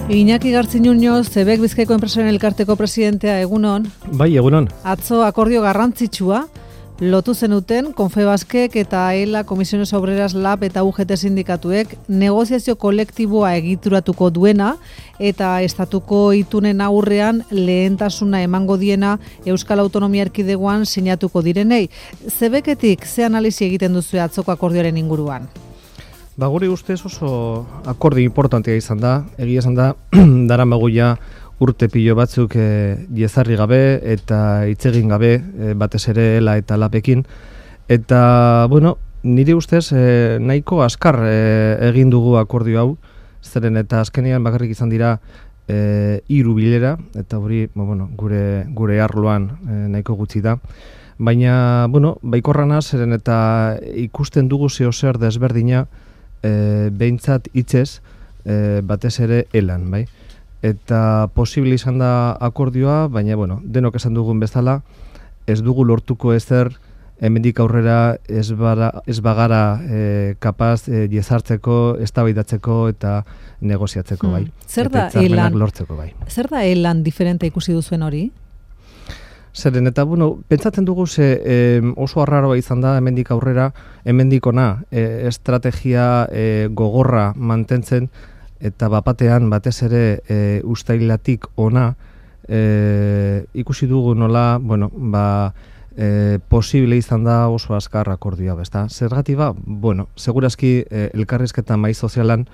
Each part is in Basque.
Iñaki Gartziñuño, Zebek Bizkaiko Enpresaren Elkarteko presidentea, egunon. Bai, egunon. Atzo akordio garrantzitsua lotu zenuten Confebaskek eta ELA, Comisiones Obreras Lab eta UGT sindikatuek negoziazio kolektiboa egituratuko duena eta estatuko itunen aurrean lehentasuna emango diena Euskal Autonomia Erkidegoan sinatuko direnei. Zebeketik ze analisi egiten duzu atzoko akordioaren inguruan? Ba, guri ustez oso akordio importantea izan da. Egia esan da, daramagu ja urte pilo batzuk jezarri gabe eta hitz egin gabe batez ere ELA eta LABekin. Eta, bueno, nire ustez nahiko askar egin dugu akordio hau, zeren eta azkenean bakarrik izan dira 3 bilera, eta hori gure arloan nahiko gutxi da. Baina, baikorrana zeren eta ikusten dugu zer desberdina behintzat hitzez batez ere ELAN, bai? Eta posible izan da akordioa, baina, denok esan dugun bezala, ez dugu lortuko ezer hemendik aurrera ez bagara kapaz jezartzeko, eztabaidatzeko eta negoziatzeko, bai? Zer da ELAN lortzeko, bai? Zer da ELAN diferente ikusi duzuen hori? Zeren eta, pentsatzen dugu oso arraroa izan da hemendik aurrera, hemendik ona estrategia gogorra mantentzen eta bapatean batez ere uztailatik ona ikusi dugu nola, posible izan da oso azkar akordioa, bezta? Zergatik ba? Segurazki elkarrizketa mahai sozialan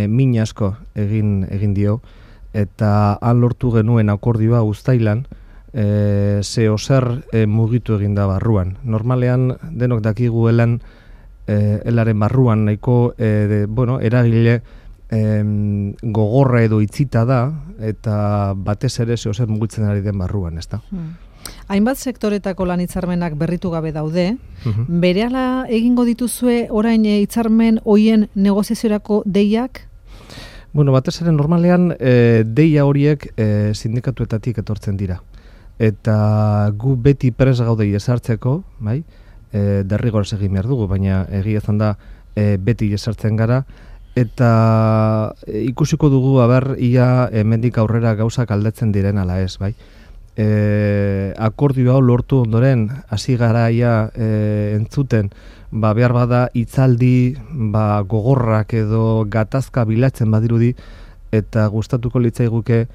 min asko egin dio eta han lortu genuen akordioa uztailan zer mugitu egin da barruan. Normalean denok dakigu elaren barruan nahiko eragile gogorra edo itzita da eta batez ere zer mugitzen ari den barruan, ezta? Hainbat sektoretako lan hitzarmenak berritu gabe daude. Berehala egingo dituzue orain hitzarmen hoien negoziaziorako deiak? Batez ere normalean deia horiek sindikatuetatik etortzen dira. Eta gu beti prest gaude jesartzeko, bai? Derrigorez egin behar dugu, baina egia izan da beti jesartzen gara, eta ikusiko dugu ia hemendik aurrera gauzak aldatzen diren ala ez, bai? Akordio hau lortu ondoren hasi garaia entzuten, behar bada hitzaldi gogorrak edo gatazka bilatzen badirudi, eta gustatuko litzaiguke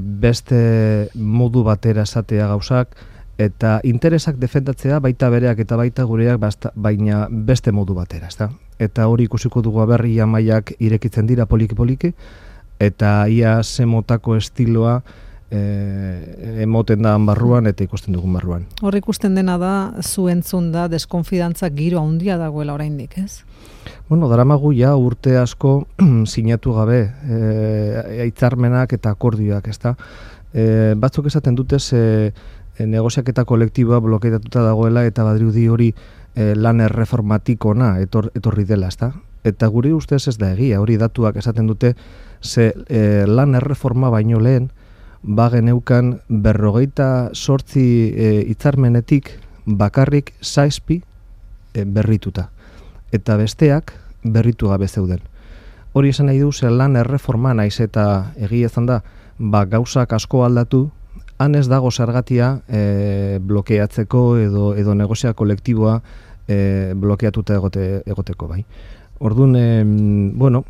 beste modu batera esatea gauzak eta interesak defendatzea baita bereak eta baita gureak baina beste modu batera, ezta? Eta hori ikusiko dugu ia mailak irekitzen dira poliki-poliki eta ia zemotako estiloa emoten da barruan eta ikusten dugun barruan. Hor ikusten dena da, zu entzun da, deskonfidantza giro handia dagoela oraindik, ez? Daramagu ja urte asko sinatu gabe hitzarmenak eta akordioak, ezta? Batzuk esaten dute negoziaketa kolektiboa blokeatuta dagoela eta badirudi hori lan erreformatik ona etorri dela, ezta? Eta guri ustez ez da egia, hori datuak esaten dute lan erreforma baino lehen geneukan 58 hitzarmenetik bakarrik 7 berrituta. Eta besteak berritu gabe zeuden. Hori esan nahi du lan erreforma naiz eta egia izan da, gauzak asko aldatu, han ez dago zergatia blokeatzeko edo negozia kolektiboa blokeatuta egoteko, bai. Orduan,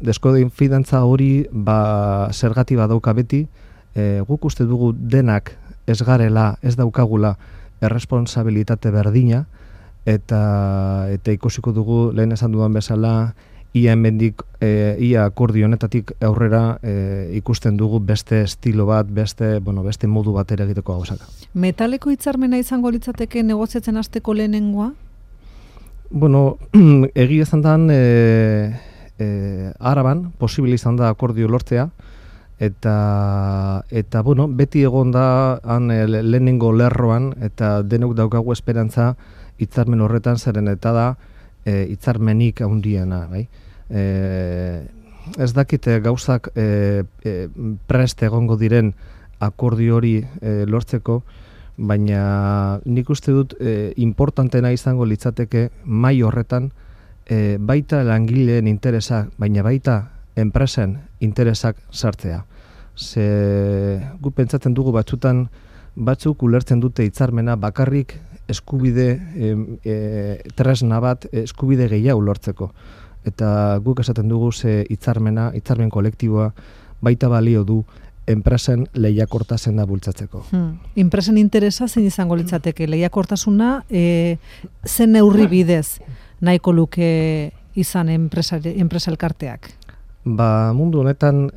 deskonfidantza hori zergati badauka beti, guk uste dugu denak ez garela, ez daukagula erresponsabilitate berdina, eta ikusiko dugu lehen esan dudan bezala ia akordio honetatik aurrera ikusten dugu beste estilo bat, beste modu batera egiteko gauzak. Metaleko hitzarmena izango litzateke negoziatzen hasteko lehenengoa? Egia izan dan Araban posible izan da akordio lortzea eta beti egon da lehenengo lerroan eta denok daukagu esperantza hitzarmen horretan zeren eta da hitzarmenik handiena, bai? Ez dakit gauzak prest egongo diren akordio hori lortzeko, baina nik uste dut importantena izango litzateke mai horretan baita langileen interesak, baina baita enpresen interesak sartzea. Ze gu pentsatzen dugu batzutan batzuk ulertzen dute hitzarmena bakarrik eskubide tresna bat eskubide gehiago lortzeko. Eta guk esaten dugu ze hitzarmen kolektiboa baita balio du enpresen lehiakortasuna bultzatzeko. Enpresen interesa zein izango litzateke lehiakortasuna zen neurri bidez nahiko luke izan enpresa elkarteak? Mundu honetan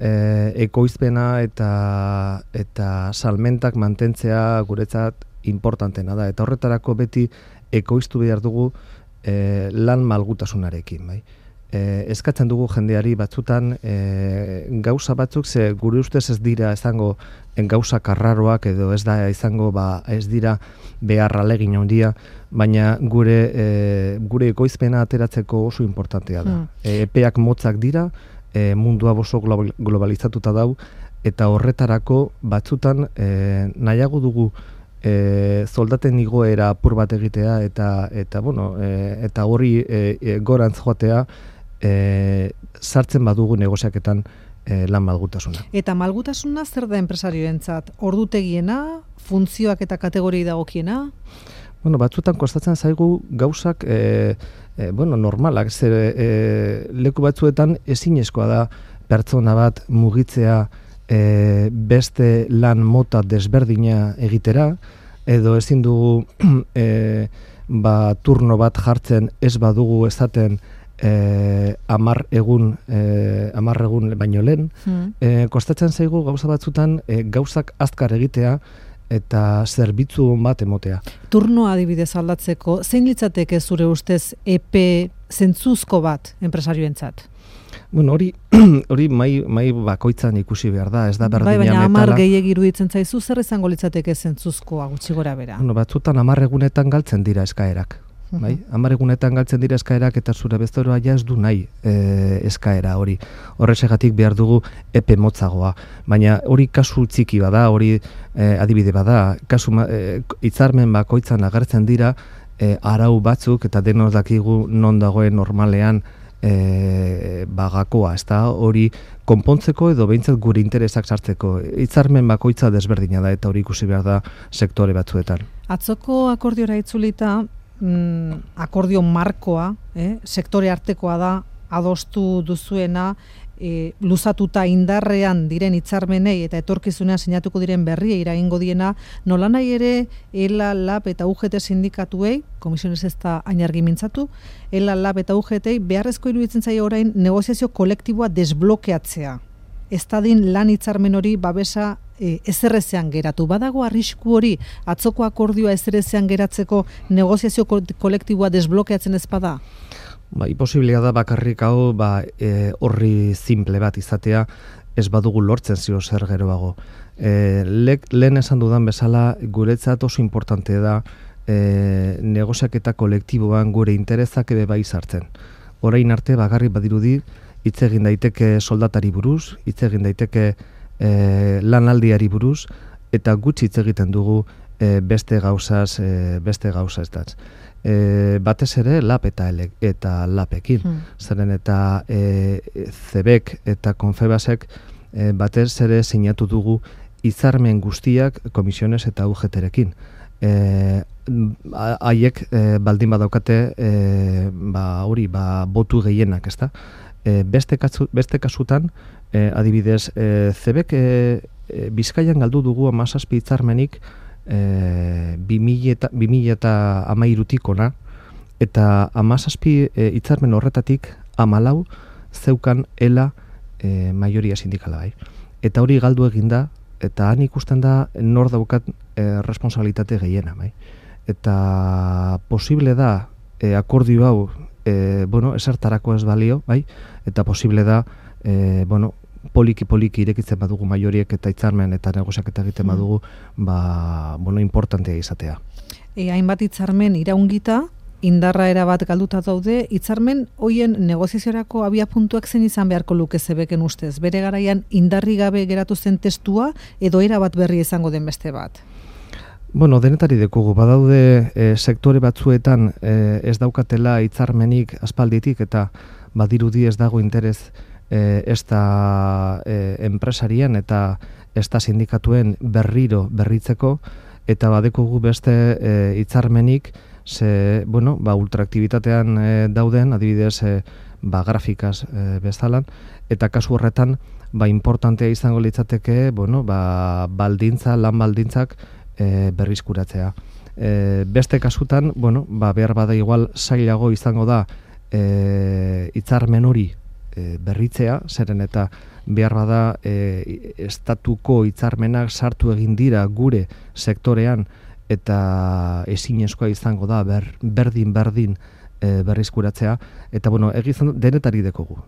ekoizpena eta salmentak mantentzea guretzat importantena da. Eta horretarako beti ekoiztu behar dugu lan malgutasunarekin. Bai? Eskatzen dugu jendeari batzutan gauza batzuk ze gure ustez ez dira izango gauza karraroak edo ez da izango ez dira beharra alegin handia, baina gure ekoizpena ateratzeko oso importantea da. Epeak motzak dira, mundua oso globalizatuta dau, eta horretarako batzutan nahiago dugu soldaten igoera apur bat egitea eta hori gorantz joatea sartzen badugu negoziaketan lan malgutasuna. Eta malgutasuna zer da enpresarioentzat? Ordutegiena, funtzioak eta kategoriei dagokiena? Batzutan kostatzen zaigu gauzak normalak, leku batzuetan ezinezkoa da pertsona bat mugitzea beste lan mota desberdina egitera, edo ezin dugu turno bat jartzen ez badugu ezaten 10 egun baino lehen. Kostatzen zaigu gauza batzutan gauzak azkar egitea eta zerbitzu bat emotea. Turnoa adibidez aldatzeko, zein litzateke zure ustez epe zentzuzko bat enpresarioentzat? Hori mai bakoitzan ikusi behar da, ez da berdina metala. Baina 10 gehiegi iruditzen zaizu, zer izango litzateke zentzuzkoa gutxi gora bera? Batzutan 10 egunetan galtzen dira eskaerak. 10 egunetan galtzen dira eskaerak eta zure bezoroa ez du nahi eskaera hori. Horrexegatik behar dugu epe motzagoa. Baina hori kasu txiki bada, hori adibide bada, hitzarmen bakoitzan agertzen dira arau batzuk eta denok dakigu non dagoen normalean gakoa, hori konpontzeko edo behintzat gure interesak sartzeko. Hitzarmen bakoitza desberdina da eta hori ikusi behar da sektore batzuetan. Atzoko akordiora itzulita, akordio markoa, sektore artekoa da, adostu duzuena, luzatuta indarrean diren hitzarmenei eta etorkizunean sinatuko diren berriei eragingo diena, nolanahi ere ELA, LAB eta UGT sindikatuei, komisiones ez da ainargi mintzatu, ELA, LAB eta UGT beharrezko iruditzen zaio orain negoziazio kolektiboa desblokeatzea. Ez dadin lan hitzarmen hori babesa ezerrezean geratu. Badago arrisku hori atzoko akordioa ezerrezean geratzeko negoziazio kolektiboa desblokeatzen ez bada? Posiblea da bakarrik hau horri simple bat izatea ez badugu lortzen zio zer geroago. Lehen esan dudan bezala guretzat oso importante da negoziaketa kolektiboan gure interesak ere bai sartzen. Orain arte bagarri badirudi hitz egin daiteke soldatari buruz, hitz egin daiteke lanaldiari buruz, eta gutxi hitz egiten dugu beste gauzaz datz. Batez ere LAB eta LABekin. Zeren eta CEBek eta Confebasek batez ere sinatu dugu hitzarmen guztiak komisiones eta UGT-rekin. Haiek baldin badaukate botu gehienak, ezta? Beste kasutan, adibidez, CEBek Bizkaian galdu dugu 17 hitzarmenik 2013 ona, eta 17 hitzarmen horretatik 14 zeukan ELA maioria sindikala bai. Eta hori galdu eginda, eta han ikusten da nor daukat responsabilitate gehiena bai. Eta posible da akordio hau esertarako ez balio, bai? Eta posible da poliki irekitzen badugu maioriek eta hitzarmen eta negoziaketa egiten badugu, importantea izatea. Hainbat hitzarmen iraungita, indarra erabat galduta daude, hitzarmen hoien negoziaziorako abiapuntuak zein izan beharko luke CEBeken ustez? Bere garaian indarri gabe geratu zen testua edo erabat berri izango den beste bat? Denetari dekugu, badaude sektore batzuetan ez daukatela hitzarmenik aspalditik eta badirudi ez dago interes ezta enpresarien eta ezta sindikatuen berritzeko, eta badekugu beste hitzarmenik, ultraaktibitatean dauden, adibidez, grafikaz bezalan, eta kasu horretan, importantea izango litzateke, lan baldintzak berrizkuratzea. Beste kasutan, behar bada igual zailago izango da hitzarmen hori berritzea, zeren eta behar bada estatuko hitzarmenak sartu egin dira gure sektorean, eta ezinezkoa izango da berdin berrizkuratzea, eta egizan denetari dekogu.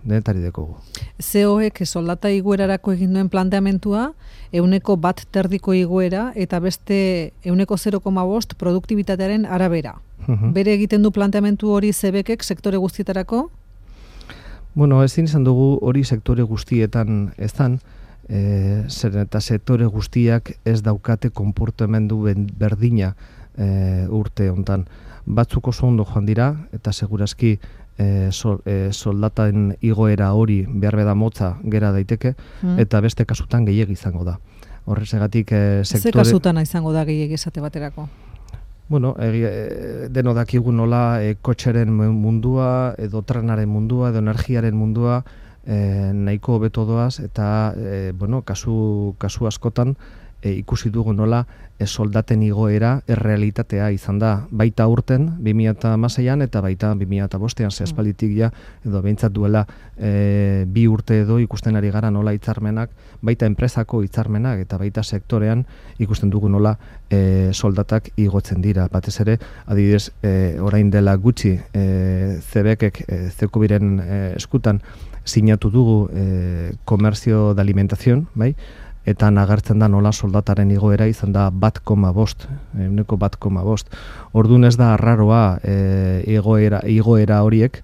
CEO-ek soldata igoerarako egin duen planteamentua, 1% igoera, eta beste 0,5% produktibitatearen arabera. Bere egiten du planteamentu hori CBek sektore guztietarako? Ezin izan dugu hori sektore guztietan ezan, zeren eta sektore guztiak ez daukate konportamendu berdina urte hontan. Batzuk oso ondo joan dira, eta segurazki soldaten igoera hori behar beda motza gera daiteke, eta beste kasutan gehiegi izango da. Horrezegatik sektore... Ze kasutan izango da gehiegi esate baterako? Deno dakigu nola kotxeren mundua, edo trenaren mundua, edo energiaren mundua, nahiko hobeto doaz, eta kasu askotan ikusi dugu nola soldaten igoera errealitatea izan da. Baita urten, 2016an eta baita 2005an, zehazpalitik ja, edo behintzat duela 2 urte edo ikusten ari gara nola hitzarmenak, baita enpresako hitzarmenak eta baita sektorean ikusten dugu nola soldatak igotzen dira. Batez ere, adibidez, orain dela gutxi CBek Zekubiren eskutan sinatu dugu komerzio de alimentación, bai? Eta nagertzen da nola soldataren igoera izan da 1,5%. Orduan ez da arraroa igoera horiek,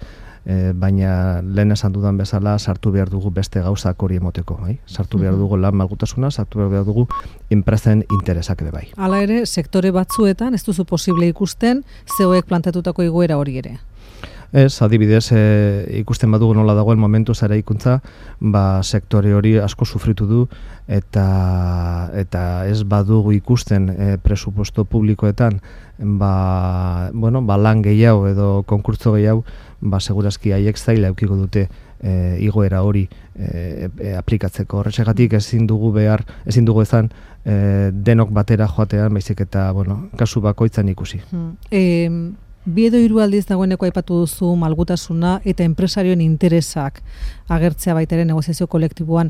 baina lehen esan dudan bezala sartu behar dugu beste gauzak hori emoteko. Sartu behar dugu lan malgutasuna, sartu behar dugu enpresen interesak ere bai. Hala ere, sektore batzuetan ez duzu posible ikusten CEOek planteatutako igoera hori ere? Ez, adibidez, ikusten badugu nola dagoen momentu zara ikuntza, sektore hori asko sufritu du, eta ez badugu ikusten presupuesto publikoetan, lan gehiago edo konkurtso gehiago, segurazki haiek zaila eukiko dute igoera hori aplikatzeko. Horretxegatik ezin dugu ezan denok batera joatean, baizik eta kasu bakoitzan ikusi. 2 edo 3 aldiz dagoeneko aipatu duzu malgutasuna eta enpresarioen interesak agertzea baita ere negoziazio kolektiboan.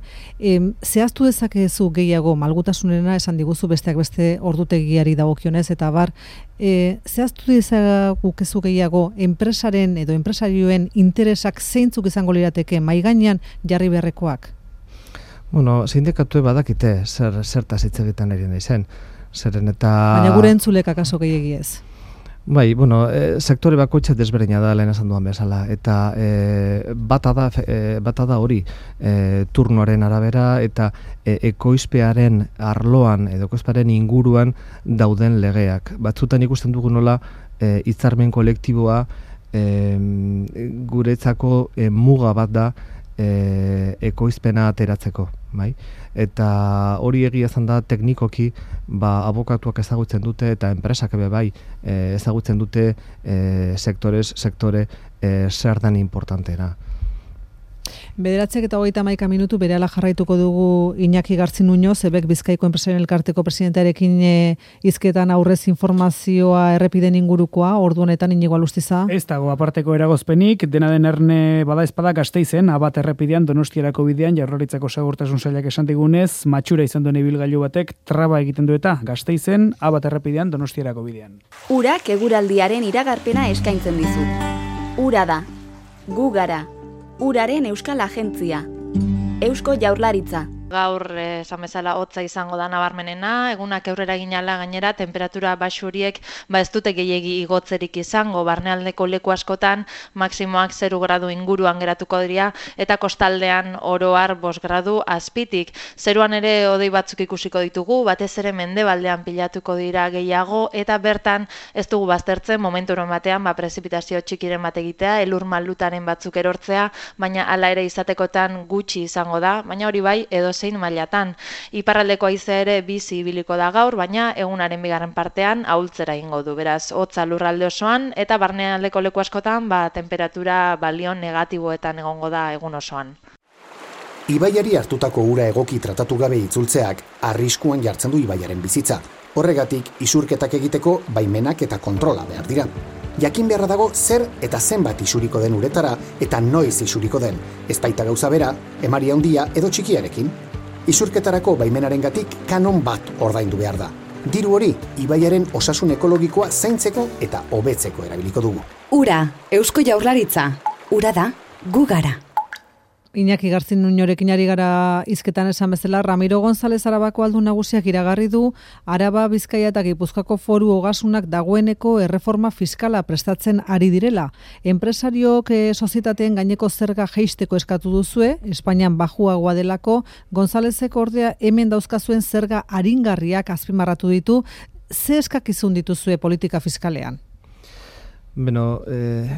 Zehaztu dezakezu gehiago malgutasunena, esan diguzu besteak beste ordutegiari dagokionez, eta zehaztu dezakezu gehiago enpresaren edo enpresarioen interesak zeintzuk izango lirateke mahai gainean jarri beharrekoak? Sindikatue badakite zertaz hitz egiten ari naizen. Baina gure entzulek akaso gehiegi ez? Bai, sektore bakoitza desberdina da lehen esan duan bezala, eta bata da hori turnoaren arabera eta ekoizpearen arloan edo ekoizpearen inguruan dauden legeak. Batzutan ikusten dugu nola hitzarmen kolektiboa guretzako muga bat da ekoizpena ateratzeko, bai? Eta hori egia izan da teknikoki abokatuak ezagutzen dute eta enpresak ebe bai ezagutzen dute sektore zer den importantena. 9:31 minutu berehala jarraituko dugu Iñaki Gartzinuño, CEBek Bizkaiko Enpresarioen Elkarteko presidentearekin hizketan aurrez informazioa errepiden ingurukoa, ordu honetan Inigo Alustiza. Ez dago aparteko eragozpenik, dena den erne bada espada Gasteizen, Abat errepidean Donostiarako bidean Jaurlaritzako Segurtasun Sailak esan digunez, matxura izan duen ibilgailu batek traba egiten du eta Gasteizen, Abat errepidean Donostiarako bidean. Urak eguraldiaren iragarpena eskaintzen dizu. Ura da. Gu gara. Uraren Euskal Agentzia. Eusko Jaurlaritza. Gaur, esan bezala, hotza izango da nabarmenena, egunak aurrera ginala gainera, temperatura baxu horiek ez dute gehiegi igotzerik izango, barnealdeko leku askotan, maksimoak 0 gradu inguruan geratuko dira, eta kostaldean oro har 5 gradu azpitik. Zeruan ere hodei batzuk ikusiko ditugu, batez ere mendebaldean pilatuko dira gehiago, eta bertan ez dugu baztertzen momenturen batean prezipitazio txikiren bat egitea, elur malutaren batzuk erortzea, baina hala ere izatekotan gutxi izango da, baina hori bai edozein mailatan. Iparraldeko haizea ere bizi ibiliko da gaur, baina egunaren bigarren partean ahultzera egingo du. Beraz, hotza lurralde osoan eta barnealdeko leku askotan temperatura balio negatiboetan egongo da egun osoan. Ibaiari hartutako ura egoki tratatu gabe itzultzeak arriskuan jartzen du ibaiaren bizitza. Horregatik, isurketak egiteko baimenak eta kontrola behar dira. Jakin beharra dago zer eta zenbat isuriko den uretara eta noiz isuriko den, ez baita gauza bera, emari handia edo txikiarekin. Isurketarako baimenarengatik kanon bat ordaindu behar da. Diru hori, ibaiaren osasun ekologikoa zaintzeko eta hobetzeko erabiliko dugu. Ura, Eusko Jaurlaritza. Ura da, gu gara. Iñaki Garzin Nuñorekin ari gara hizketan esan bezala, Ramiro González Arabako aldun nagusiak iragarri du Araba, Bizkaia eta Gipuzkoako Foru Ogasunak dagoeneko erreforma fiskala prestatzen ari direla. Enpresariok sozietateen gaineko zerga jeisteko eskatu duzue, Espainian bajuagoa delako, Gonzálezek ordea hemen dauzkazuen zerga aringarriak azpimarratu ditu. Ze eskakizun dituzue politika fiskalean? Beno,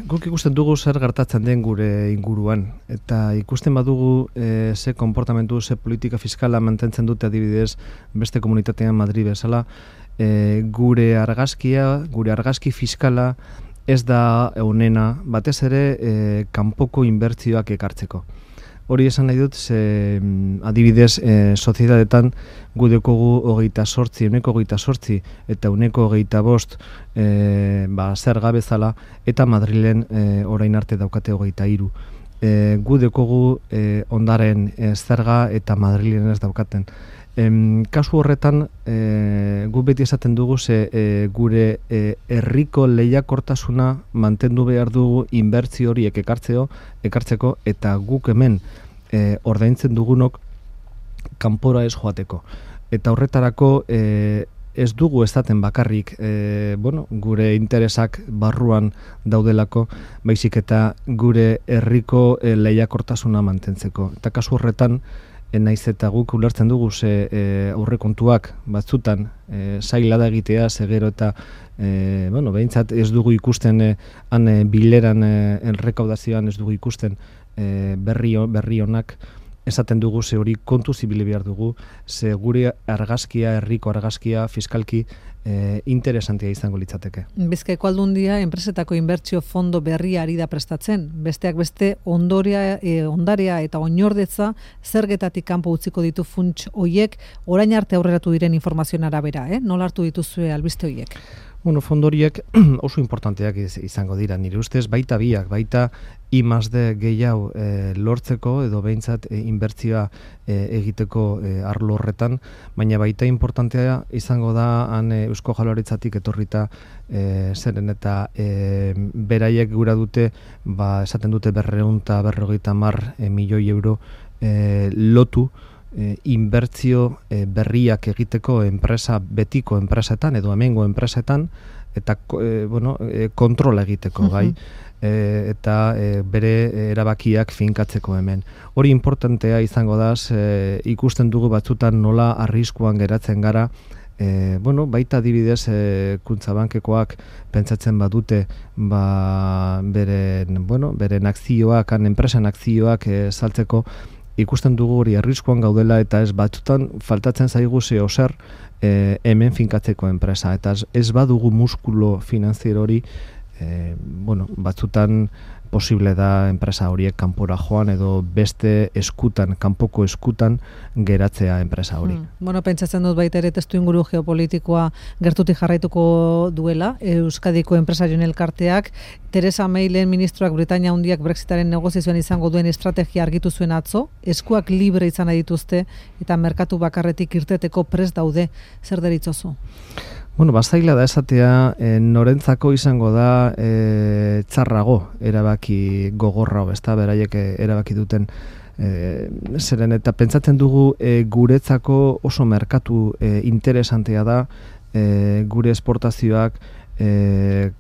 guk ikusten dugu zer gertatzen den gure inguruan, eta ikusten badugu ze konportamentu, ze politika fiskala mantentzen dute adibidez beste komunitatean Madrid bezala, gure argazki fiskala ez da onena, batez ere kanpoko inbertsioak ekartzeko. Hori esan nahi dut, adibidez, soziedadetan gu dekogu 28, uneko 28 eta uneko 25 zerga bezala, eta Madrilen orain arte daukate 23. Gu dekogu ondaren zerga eta Madrilen ez daukaten. Kasu horretan, gu beti esaten dugu gure herriko lehiakortasuna mantendu behar dugu inbertsio horiek ekartzeko eta guk hemen ordaintzen dugunok kanpora ez joateko. Eta horretarako ez dugu esaten bakarrik gure interesak barruan daudelako, baizik eta gure herriko lehiakortasuna mantentzeko. Eta kasu horretan, naiz eta guk ulertzen dugu aurrekontuak batzutan zaila da egitea, gero eta behintzat ez dugu ikusten bileran errekaudazioan ez dugu ikusten berri honak, esaten dugu hori kontu zibili behar dugu, gure argazkia, herriko argazkia fiskalki interesantia izango litzateke. Bizkaiko Aldundia enpresetako inbertsio fondo berria ari da prestatzen. Besteak beste ondarea eta oinordetza zergetatik kanpo utziko ditu funts hoiek, orain arte aurreratu diren informazioen arabera, nola hartu dituzue albiste hoiek? Fondo horiek oso importanteak izango dira, nire ustez, baita biak, baita I+D gehiago lortzeko edo behintzat inbertsioa egiteko arlo horretan, baina baita importantea izango da Eusko Jaurlaritzatik etorrita zeren eta beraiek gura dute, esaten dute 250 milioi euro lotu inbertsio berriak egiteko betiko enpresetan edo hemengo enpresetan eta kontrola egiteko gai eta bere erabakiak finkatzeko hemen. Hori importantea izango da, ikusten dugu batzutan nola arriskuan geratzen gara, baita adibidez Kutxabankekoak pentsatzen badute beren akzioak, enpresan akzioak saltzeko, ikusten dugu hori arriskuan gaudela eta ez batzutan faltatzen zaigu zer hemen finkatzeko enpresa eta ez badugu muskulo finanziero hori batzutan posible da enpresa horiek kanpora joan edo beste kanpoko eskutan geratzea enpresa hori. Pentsatzen dut baita ere testu inguru geopolitikoa gertutik jarraituko duela, Euskadiko enpresarioen elkarteak, Theresa Maylen ministroak Britainia Handiak Brexitaren negoziazioan izango duen estrategia argitu zuen atzo, eskuak libre izan nahi dituzte eta merkatu bakarretik irteteko prest daude, zer deritzozu? Bazaila da esatea, norentzako izango da txarrago erabaki gogorra, beraiek erabaki duten Zeren eta pentsatzen dugu guretzako oso merkatu interesantea da, gure esportazioak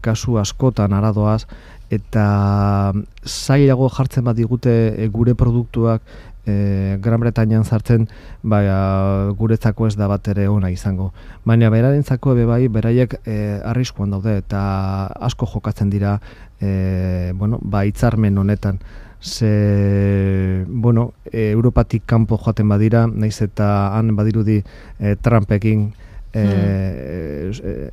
kasu askotan aradoaz, eta zailago jartzen bat digute gure produktuak Gran Bretañan sartzen, guretzako ez da bat ere ona izango. Baina berarentzako bai, beraiek arriskuan daude eta asko jokatzen dira hitzarmen honetan. Europatik kanpo joaten badira, naiz eta han badirudi Trumpekin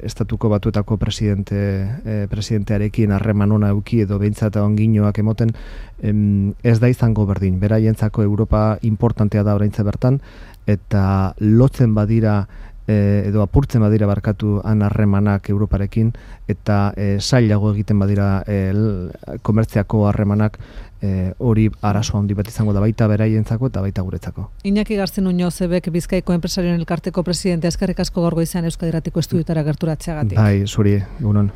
estatuko batuetako presidentearekin harreman ona eduki edo behintzat onginoak emoten, ez da izango berdin. Beraientzako Europa importantea da oraintze bertan, eta lotzen badira edo apurtzen badira barkatu han harremanak Europarekin, eta zailago egiten badira komertziako harremanak, hori arazo handi bat izango da baita beraientzako eta baita guretzako. Iñaki Gartzen Uñozebek Bizkaiko Enpresarioen Elkarteko presidentea, eskerrik asko gaur goizean Euskadi Irratiko estudiotara gerturatzeagatik. Bai, zuri, egunon.